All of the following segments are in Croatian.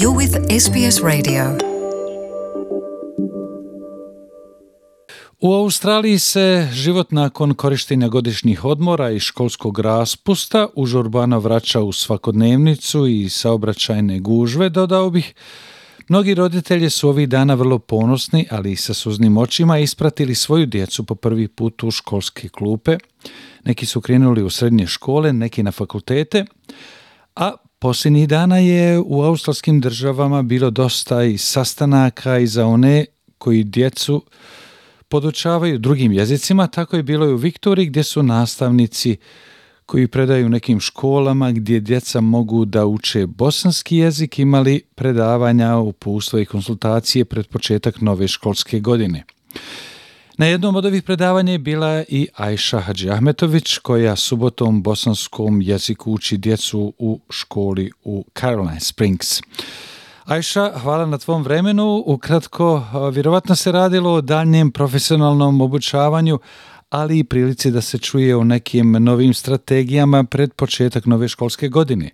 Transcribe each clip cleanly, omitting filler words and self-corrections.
You're with SBS Radio. U Australiji se život nakon korištenja godišnjih odmora i školskog raspusta užurbano vraća u svakodnevnicu i saobraćajne gužve, dodao bih. Mnogi roditelji su ovih dana vrlo ponosni, ali i sa suznim očima ispratili svoju djecu po prvi put u školske klupe. Neki su krenuli u srednje škole, neki na fakultete, a posljednjih dana je u australskim državama bilo dosta i sastanaka i za one koji djecu podučavaju drugim jezicima. Tako je bilo i u Viktoriji, gdje su nastavnici koji predaju nekim školama gdje djeca mogu da uče bosanski jezik imali predavanja, uputstva i konsultacije pred početak nove školske godine. Na jednom od ovih predavanja je bila i Ajša Hadžiahmetović, koja subotom bosanskom jeziku uči djecu u školi u Caroline Springs. Ajša, hvala na tvom vremenu. Ukratko, vjerovatno se radilo o daljnjem profesionalnom obučavanju, ali i prilici da se čuje o nekim novim strategijama pred početak nove školske godine.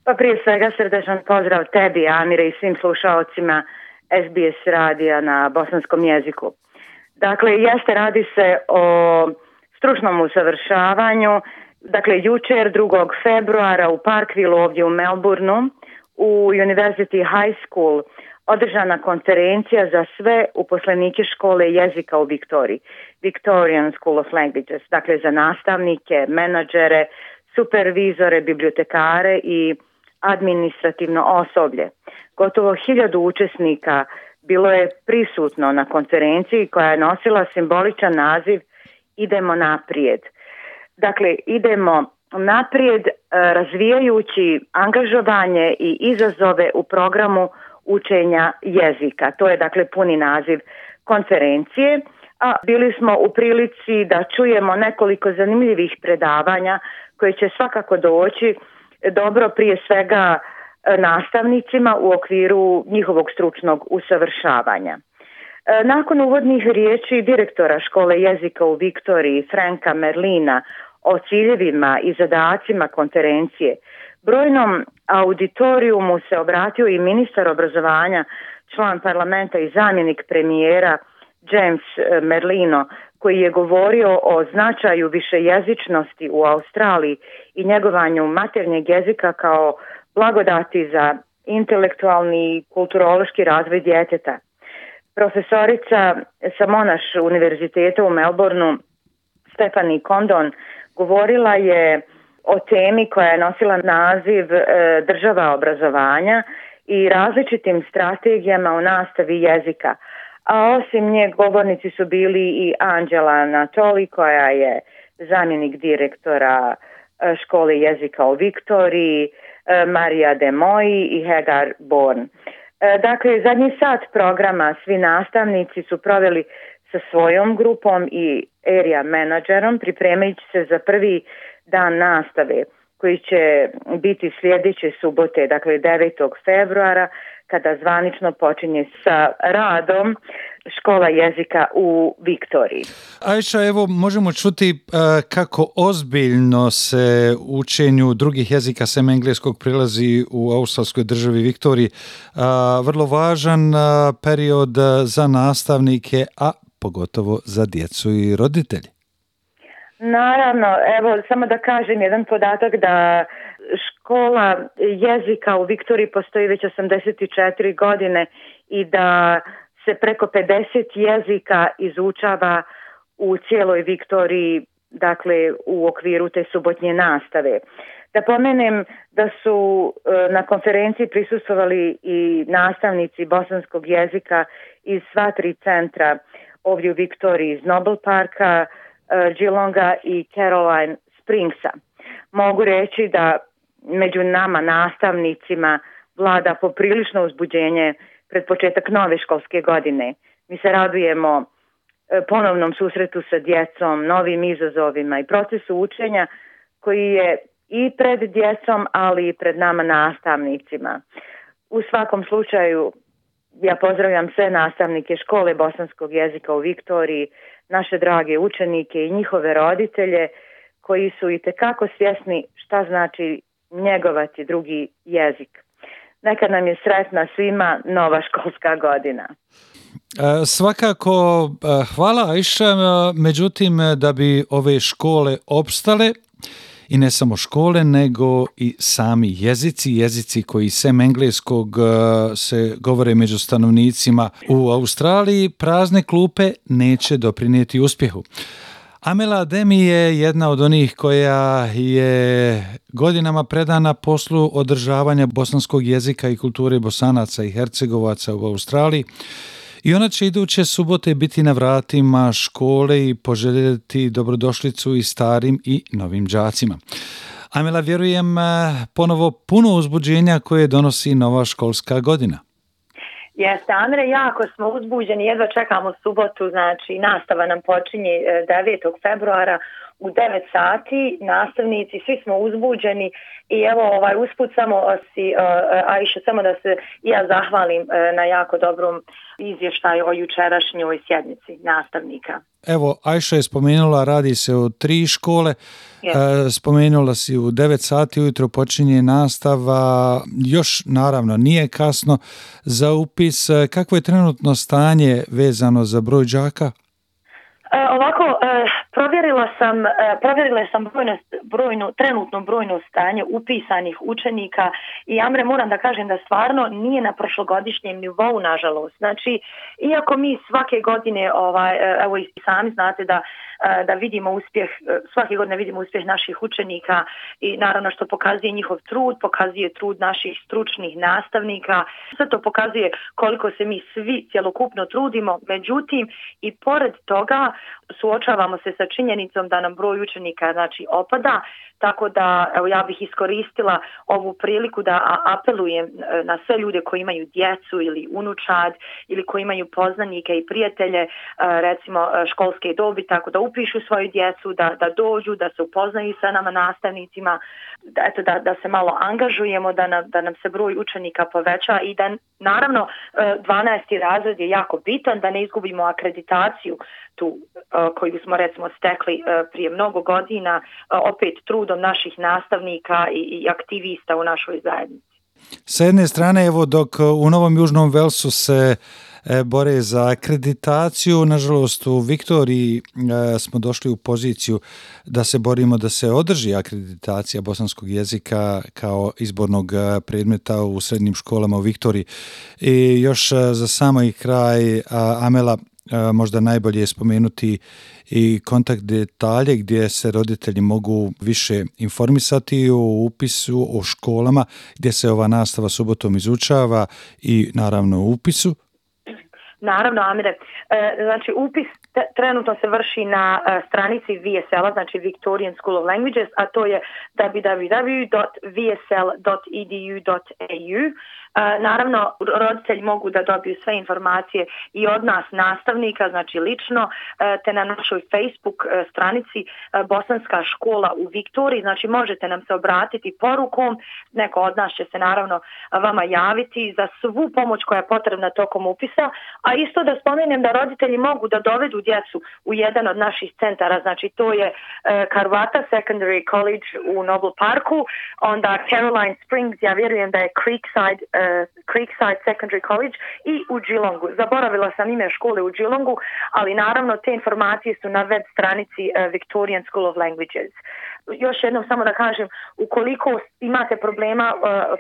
Pa prije svega srdečan pozdrav tebi, Amire, i svim slušaocima SBS radija na bosanskom jeziku. Dakle, radi se o stručnom usavršavanju. Dakle, jučer 2. februara u Parkvillu ovdje u Melbourneu u University High School održana konferencija za sve uposlenike škole jezika u Viktoriji, Victorian School of Languages, dakle za nastavnike, menadžere, supervizore, bibliotekare i administrativno osoblje. Gotovo 1000 učesnika bilo je prisutno na konferenciji koja je nosila simboličan naziv Idemo naprijed. Dakle, idemo naprijed razvijajući angažovanje i izazove u programu učenja jezika. To je dakle puni naziv konferencije, a bili smo u prilici da čujemo nekoliko zanimljivih predavanja koje će svakako doći dobro prije svega nastavnicima u okviru njihovog stručnog usavršavanja. Nakon uvodnih riječi direktora škole jezika u Viktoriji, Franka Merlina, o ciljevima i zadacima konferencije, brojnom auditorijumu se obratio i ministar obrazovanja, član parlamenta i zamjenik premijera James Merlino, koji je govorio o značaju višejezičnosti u Australiji i njegovanju maternjeg jezika kao blagodati za intelektualni i kulturološki razvoj djeteta. Profesorica sa Monash univerziteta u Melbourneu, Stephanie Condon, govorila je o temi koja je nosila naziv država obrazovanja i različitim strategijama u nastavi jezika. A osim nje govornici su bili i Angela Natoli, koja je zamjenik direktora škole jezika u Viktoriji, Marija De Moji i Hagar Born. Dakle, zadnji sat programa svi nastavnici su proveli sa svojom grupom i area menadžerom, pripremajući se za prvi dan nastave koji će biti sljedeće subote, dakle 9. februara, kada zvanično počinje sa radom škola jezika u Viktoriji. Ajša, evo možemo čuti kako ozbiljno se učenju drugih jezika sem engleskog prilazi u australskoj državi Viktoriji. Vrlo važan period za nastavnike, a pogotovo za djecu i roditelje. Naravno, evo samo da kažem jedan podatak da škola jezika u Viktoriji postoji već 84 godine i da se preko 50 jezika izučava u cijeloj Viktoriji, dakle u okviru te subotnje nastave. Da pomenem da su na konferenciji prisustvovali i nastavnici bosanskog jezika iz sva 3 centra ovdje u Viktoriji, iz Noble Parka, Geelonga i Caroline Springsa. Mogu reći da među nama nastavnicima vlada poprilično uzbuđenje pred početak nove školske godine. Mi se radujemo ponovnom susretu sa djecom, novim izazovima i procesu učenja koji je i pred djecom, ali i pred nama nastavnicima. U svakom slučaju, ja pozdravljam sve nastavnike škole bosanskog jezika u Viktoriji, naše drage učenike i njihove roditelje koji su itekako svjesni šta znači njegovati drugi jezik. neka nam je sretna svima nova školska godina. Svakako, hvala Ajša, međutim da bi ove škole opstale, i ne samo škole, nego i sami jezici koji sem engleskog se govore među stanovnicima u Australiji, prazne klupe neće doprinijeti uspjehu. Amela Ademi je jedna od onih koja je godinama predana poslu održavanja bosanskog jezika i kulture Bosanaca i Hercegovaca u Australiji. I ona će iduće subote biti na vratima škole i poželjeti dobrodošlicu i starim i novim đacima. Amela, vjerujem, ponovo puno uzbuđenja koje donosi nova školska godina. Jeste, Andre, jako smo uzbuđeni, jedva čekamo subotu, znači nastava nam počinje 9. februara u 9 sati, nastavnici, svi smo uzbuđeni i evo usput samo Ajša, samo da se ja zahvalim na jako dobrom izvještaju o jučerašnjoj sjednici nastavnika. Evo, Ajša je spomenula, radi se o 3 škole, spomenula si u 9 sati ujutro počinje nastava, još naravno nije kasno za upis. Kakvo je trenutno stanje vezano za broj đaka? Provjerila sam trenutno brojno stanje upisanih učenika i Amre, moram da kažem da stvarno nije na prošlogodišnjem nivou, nažalost. Znači, iako mi svake godine, evo i sami znate da vidimo uspjeh, svake godine vidimo uspjeh naših učenika i naravno što pokazuje njihov trud, pokazuje trud naših stručnih nastavnika, sve to pokazuje koliko se mi svi cjelokupno trudimo, međutim i pored toga suočavamo se sa činjenicom da nam broj učenika opada, tako da evo, ja bih iskoristila ovu priliku da apelujem na sve ljude koji imaju djecu ili unučad ili koji imaju poznanike i prijatelje, recimo školske dobi, tako da upišu svoju djecu, da dođu, da se upoznaju sa nama nastavnicima, da se malo angažujemo, da nam se broj učenika poveća i da naravno 12. razred je jako bitan, da ne izgubimo akreditaciju tu koju smo recimo stekli prije mnogo godina, opet trudom naših nastavnika i aktivista u našoj zajednici. Sa jedne strane, evo, dok u Novom Južnom Velsu se bore za akreditaciju, nažalost u Viktoriji smo došli u poziciju da se borimo da se održi akreditacija bosanskog jezika kao izbornog predmeta u srednjim školama u Viktoriji. I još za samoj kraj, Amela, možda najbolje je spomenuti i kontakt detalje gdje se roditelji mogu više informisati o upisu, o školama gdje se ova nastava subotom izučava i naravno o upisu. Naravno, Amire. Znači, upis trenutno se vrši na stranici VSL-a, znači Victorian School of Languages, a to je www.vsl.edu.au. Naravno, roditelji mogu da dobiju sve informacije i od nas nastavnika, znači lično, te na našoj Facebook stranici Bosanska škola u Viktoriji, znači možete nam se obratiti porukom, neko od nas će se naravno vama javiti za svu pomoć koja je potrebna tokom upisa, a isto da spomenem da roditelji mogu da dovedu djecu u jedan od naših centara, znači to je Karvata Secondary College u Noble Parku, onda Caroline Springs, ja vjerujem da je Creekside Secondary College i u Geelongu. Zaboravila sam ime škole u Geelongu, ali naravno te informacije su na web stranici Victorian School of Languages. Još jednom samo da kažem, ukoliko imate problema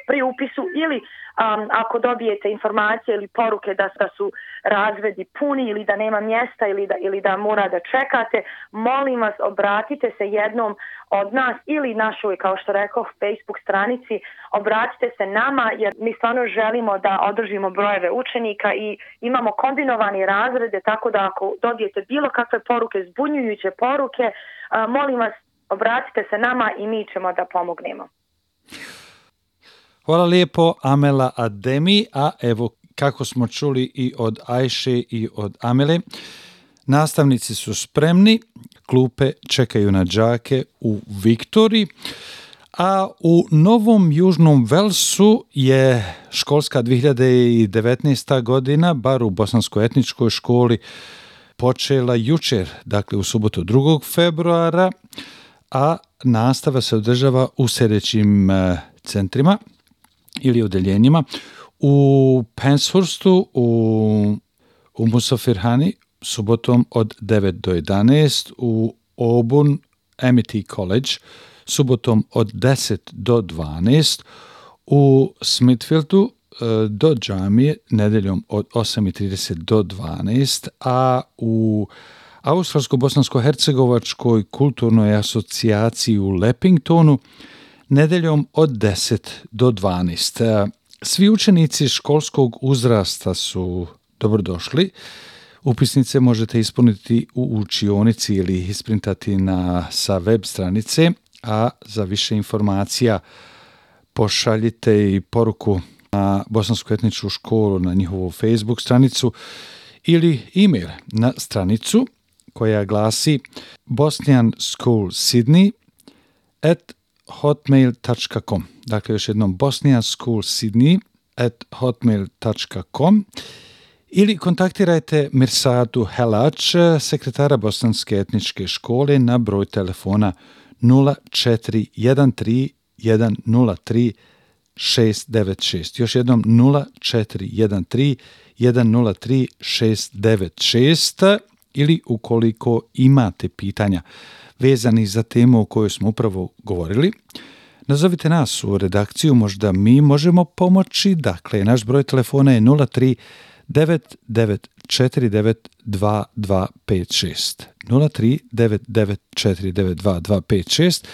pri upisu ili ako dobijete informacije ili poruke da su razredi puni ili da nema mjesta ili da mora da čekate, molim vas, obratite se jednom od nas ili našoj, kao što rekao, Facebook stranici, obratite se nama jer mi stvarno želimo da održimo brojeve učenika i imamo kombinovani razrede, tako da ako dobijete bilo kakve poruke, zbunjujuće poruke, molim vas, obratite se nama i mi ćemo da pomognemo. Hvala lijepo, Amela Ademi, a evo kako smo čuli i od Ajše i od Amele, nastavnici su spremni, klupe čekaju na đake u Viktoriji, a u Novom Južnom Velsu je školska 2019. godina, bar u bosanskoj etničkoj školi, počela jučer, dakle u subotu 2. februara, a nastava se održava u sljedećim centrima. ili odeljenjima. U Penshurstu, u Musafirhani, subotom od 9 do 11, u Auburn Amity College, subotom od 10 do 12, u Smithfieldu do džamije nedeljom od 8:30 do 12, a u Australsko-bosansko-hercegovačkoj kulturnoj asocijaciji u Leppingtonu nedeljom od 10 do 12. Svi učenici školskog uzrasta su dobrodošli. Upisnice možete ispuniti u učionici ili ih isprintati sa web stranice, a za više informacija pošaljite i poruku na Bosansku etničku školu na njihovu Facebook stranicu ili e-mail na stranicu koja glasi bosnianschoolsydney@hotmail.com. Dakle, još jednom bosnianschoolsydney@hotmail.com ili kontaktirajte Mirsadu Helač, sekretara Bosanske etničke škole, na broj telefona 0413 103 696. Još jednom 0413 103 696. Ili ukoliko imate pitanja vezani za temu o kojoj smo upravo govorili, nazovite nas u redakciju, možda mi možemo pomoći. Dakle, naš broj telefona je 03 9949 2256. 03 9949 2256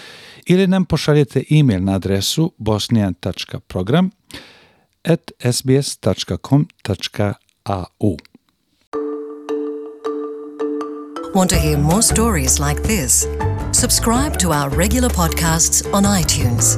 ili nam pošaljete e-mail na adresu bosnian.program@sbs.com.au. Want to hear more stories like this? Subscribe to our regular podcasts on iTunes.